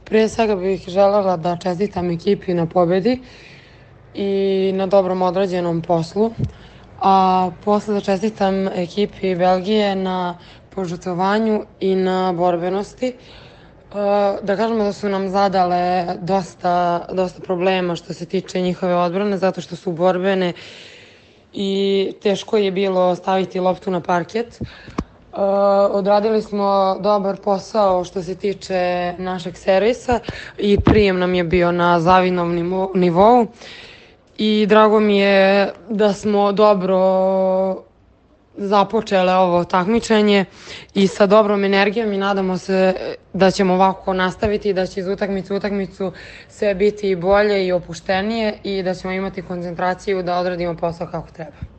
Prije svega bih želela da čestitam ekipi na pobedi i na dobrom odrađenom poslu, a posle da čestitam ekipi Belgije na požrtvovanju i na borbenosti. Da kažemo da su nam zadale dosta problema što se tiče njihove odbrane, zato što su borbene i teško je bilo staviti loptu na parket. Odradili smo dobar posao što se tiče našeg servisa i prijem nam je bio na zavidnom nivou i drago mi je da smo dobro započele ovo takmičenje i sa dobrom energijom i nadamo se da ćemo ovako nastaviti i da će iz utakmice u utakmicu sve biti bolje i opuštenije i da ćemo imati koncentraciju da odradimo posao kako treba.